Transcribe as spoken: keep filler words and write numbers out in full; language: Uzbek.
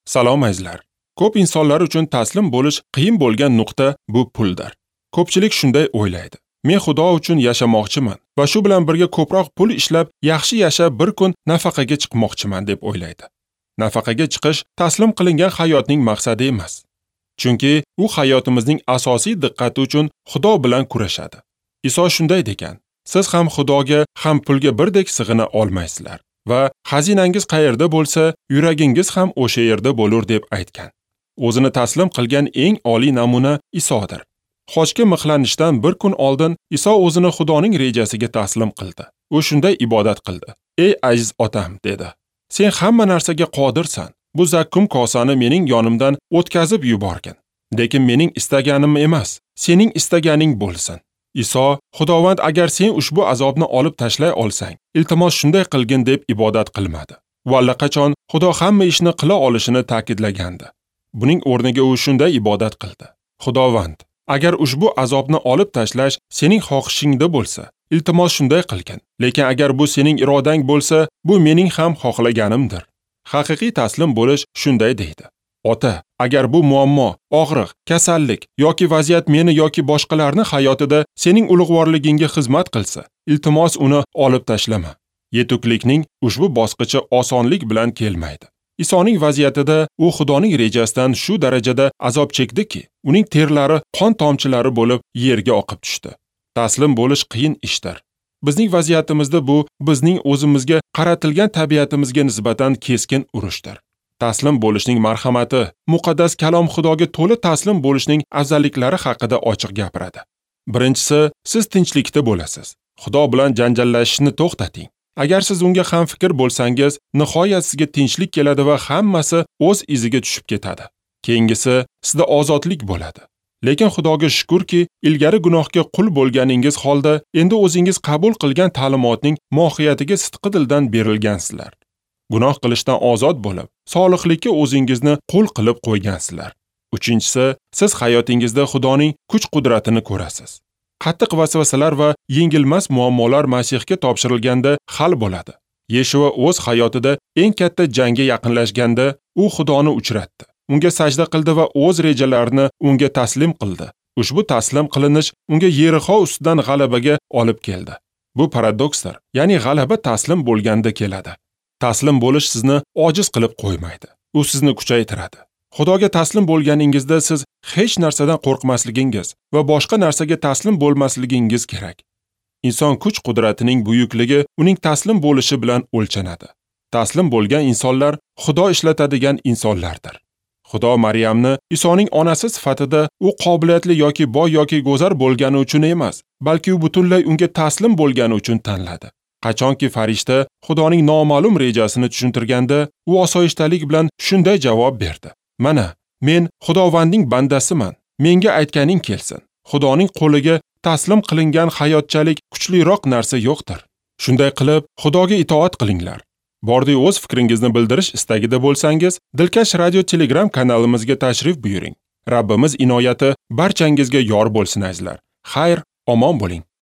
Salom azizlar. Ko'p insonlar uchun taslim bo'lish qiyin bo'lgan nuqta bu puldir. Ko'pchilik shunday o'ylaydi. Men Xudo uchun yashamoqchiman va shu bilan birga ko'proq pul ishlab, yaxshi yashab bir kun nafaqaga chiqmoqchiman deb o'ylaydi. Nafaqaga chiqish taslim qilingan hayotning maqsadi emas. Chunki u hayotimizning asosiy diqqati uchun Xudo bilan kurashadi. Iso shunday degan: siz ham Xudoga, ham pulga birdek sig'ina olmaysizlar va xazinangiz qayerda bo'lsa, yuragingiz ham o'sha yerda bo'lur deb aytgan. O'zini taslim qilgan eng oliy namuna Isodir. Xochga mixlanishdan bir kun oldin Iso o'zini Xudoning rejasiga taslim qildi. U shunday ibodat qildi. Ey aziz otam, dedi. Sen hamma narsaga qodirsan. Bu zakkum kosani mening yonimdan o'tkazib yuborgin. Lekin mening istaganim emas, sening istaganing bo'lsin. Iso, Xudovand, agar sen ushbu azobni olib tashlay olsang, iltimos shunday qilgin deb ibodat qilmadi. U allaqachon Xudo hamma ishni qila olishini ta'kidlagandi. Buning o'rniga u shunday ibodat qildi. Xudovand, agar ushbu azobni olib tashlash sening xohishingda bo'lsa, iltimos shunday qilgin. Lekin agar bu sening irodang bo'lsa, bu mening ham xohlaganimdir. Haqiqiy taslim bo'lish shunday deydi. Ota, agar bu muammo, og'riq, kasallik yoki vaziyat meni yoki boshqalarni hayotida sening ulug'vorligingga xizmat qilsa, iltimos uni olib tashlama. Yetuklikning ushbu bosqichi osonlik bilan kelmaydi. Isoning vaziyatida u Xudoning rejasidan shu darajada azob chekdiki, uning terlari qon tomchilari bo'lib yerga oqib tushdi. Taslim bo'lish qiyin ishdir. Bizning vaziyatimizda bu bizning o'zimizga qaratilgan tabiatimizga nisbatan keskin urushdir. Taslim bo'lishning marhamati, muqaddas kalom Xudoga to'la taslim bo'lishning afzalliklari haqida ochiq gapiradi. Birinchisi, siz tinchlikda bo'lasiz. Xudo bilan janjallashishni to'xtating. Agar siz unga ham fikr bo'lsangiz, nihoyat sizga tinchlik keladi va hammasi o'z iziga tushib ketadi. Keyingisi, sizda ozodlik bo'ladi. Lekin Xudoga shukrki, ilgari gunohga qul bo'lganingiz holda endi o'zingiz qabul qilgan ta'limotning mohiyatiga sidqi dildan berilgansizlar. Gunoh qilishdan ozod bo'lib, solihlikka o'zingizni qul qilib qo'ygansizlar. Uchinchisi, siz hayotingizda Xudoning kuch-qudratini ko'rasiz. Qattiq vasvasalar va yengilmas muammolar Masihga topshirilganda hal bo'ladi. Yeshua o'z hayotida eng katta jangga yaqinlashganda u Xudoni uchratdi. Unga sajda qildi va o'z rejalarini unga taslim qildi. Ushbu taslim qilinish unga Yerixo ustidan g'alabaga olib keldi. Bu paradoksdir. Ya'ni g'alaba taslim bo'lganda keladi. Taslim bo'lish sizni ojiz qilib qo'ymaydi. U sizni kuchaytiradi. Xudoga taslim bo'lganingizda siz hech narsadan qo'rqmasligingiz va boshqa narsaga taslim bo'lmasligingiz kerak. Inson kuch-qudratining buyukligi uning taslim bo'lishi bilan o'lchanadi. Taslim bo'lgan insonlar Xudo ishlatadigan insonlardir. Xudo Maryamni Isoning onasi sifatida u qobiliyatli yoki boy yoki go'zal bo'lgani uchun emas, balki u butunlay unga taslim bo'lgani uchun tanladi. Qachonki farishta Xudoning noma'lum rejasini tushuntirganda, u osoyishtalik bilan shunday javob berdi: Mana, men Xudovandning bandasiman. Menga aytganing kelsin. Xudoning qo'liga taslim qilingan hayotchalik kuchliroq narsa yo'qdir. Shunday qilib, Xudoga itoat qilinglar. Bordi o'z fikringizni bildirish istagida bo'lsangiz, Dilkash Radio Telegram kanalimizga tashrif buyuring. Rabbimiz inoyati barchangizga yor bo'lsin azizlar. Xayr, omon bo'ling.